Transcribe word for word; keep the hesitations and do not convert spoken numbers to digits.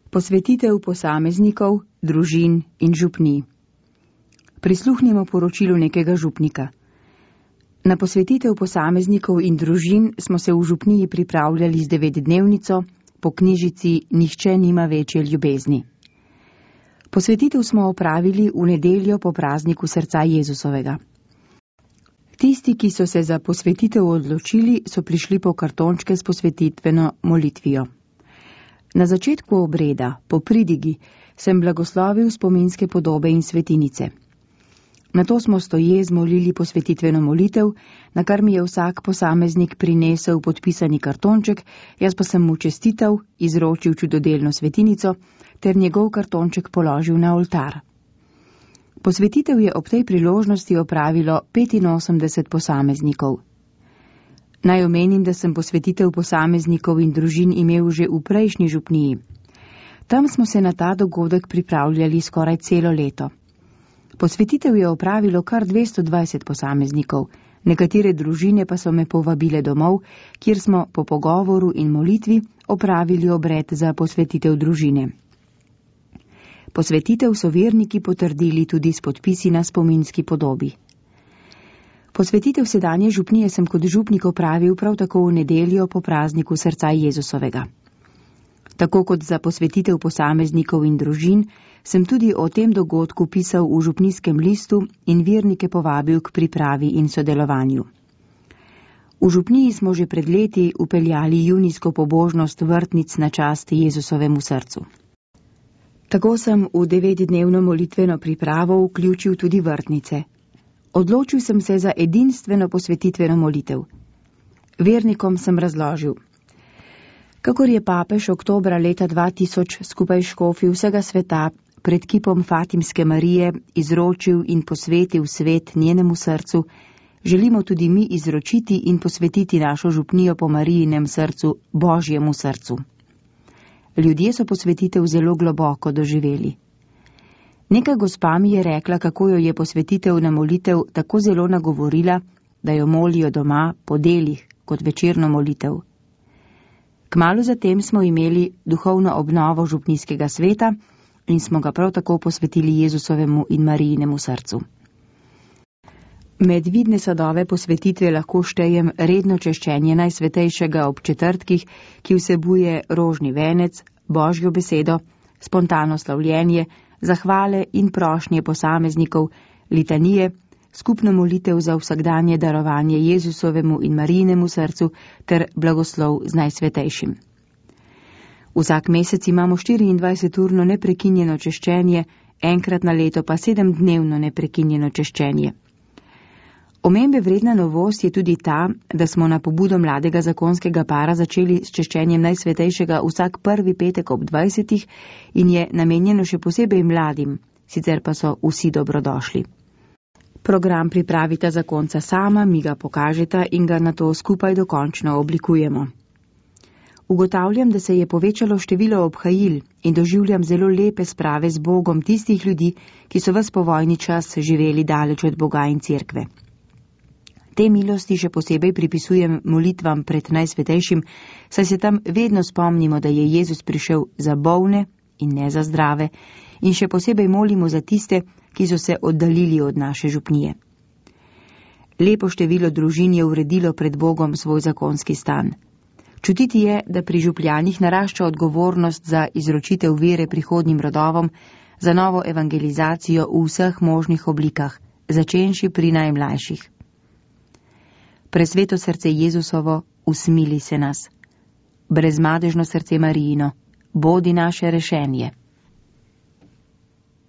Posvetitev posameznikov, družin in župnij. Prisluhnimo poročilu nekega župnika. Na posvetitev posameznikov in družin smo se v župniji pripravljali z devetdnevnico po knjižici Nihče nima večje ljubezni. Posvetitev smo opravili v nedeljo po prazniku srca Jezusovega. Tisti, ki so se za posvetitev odločili, so prišli po kartončke s posvetitveno molitvijo. Na začetku obreda, po pridigi, sem blagoslovil spominske podobe in svetinice. Nato smo stoje zmolili posvetitveno molitev, na kar mi je vsak posameznik prinesel podpisani kartonček, jaz pa sem mu čestital, izročil čudodelno svetinico ter njegov kartonček položil na oltar. Posvetitev je ob tej priložnosti opravilo petinosemdeset posameznikov. Naj omenim, da sem posvetitev posameznikov in družin imel že v prejšnji župniji. Tam smo se na ta dogodek pripravljali skoraj celo leto. Posvetitev je opravilo kar dvesto dvajset posameznikov, nekatere družine pa so me povabile domov, kjer smo po pogovoru in molitvi opravili obred za posvetitev družine. Posvetitev so verniki potrdili tudi s podpisi na spominski podobi. Posvetitev sedanje župnije sem kot župnik opravil prav tako v nedeljo po prazniku srca Jezusovega. Tako kot za posvetitev posameznikov in družin, sem tudi o tem dogodku pisal v župnijskem listu in vernike povabil k pripravi in sodelovanju. V župniji smo že pred leti upeljali junijsko pobožnost vrtnic na čast Jezusovemu srcu. Tako sem v devetdnevno molitveno pripravo vključil tudi vrtnice. Odločil sem se za edinstveno posvetitveno molitev. Vernikom sem razložil. Kakor je papež oktobra leta dva tisoč skupaj škofi vsega sveta pred kipom Fatimske Marije izročil in posvetil svet njenemu srcu, želimo tudi mi izročiti in posvetiti našo župnijo po Marijinem srcu Božjemu srcu. Ljudje so posvetitev zelo globoko doživeli. Neka gospa mi je rekla, kako jo je posvetitev na molitev tako zelo nagovorila, da jo molijo doma po delih kot večerno molitev. Kmalu zatem smo imeli duhovno obnovo župnijskega sveta in smo ga prav tako posvetili Jezusovemu in Marijinemu srcu. Med vidne sadove posvetitve lahko štejem redno češčenje Najsvetejšega ob četrtkih, ki vsebuje rožni venec, Božjo besedo, spontano slavljenje, zahvale in prošnje posameznikov, litanije, skupno molitev za vsakdanje darovanje Jezusovemu in Marijinemu srcu ter blagoslov z Najsvetejšim. Vsak mesec imamo štiriindvajseturno neprekinjeno češčenje, enkrat na leto pa sedemdnevno neprekinjeno češčenje. Omembe vredna novost je tudi ta, da smo na pobudo mladega zakonskega para začeli s češčenjem Najsvetejšega vsak prvi petek ob dvajsetih in je namenjeno še posebej mladim, sicer pa so vsi dobrodošli. Program pripravita zakonca sama, mi ga pokažeta in ga nato skupaj dokončno oblikujemo. Ugotavljam, da se je povečalo število obhajil in doživljam zelo lepe sprave z Bogom tistih ljudi, ki so ves povojni čas živeli daleč od Boga in cerkve. Te milosti še posebej pripisujem molitvam pred Najsvetejšim, saj se tam vedno spomnimo, da je Jezus prišel za bolne in ne za zdrave, in še posebej molimo za tiste, ki so se oddaljili od naše župnije. Lepo število družin je uredilo pred Bogom svoj zakonski stan. Čutiti je, da pri župljanih narašča odgovornost za izročitev vere prihodnjim rodovom, za novo evangelizacijo v vseh možnih oblikah, začenši pri najmlajših. Presveto srce Jezusovo, usmili se nas. Brezmadežno srce Marijino, bodi naše rešenje.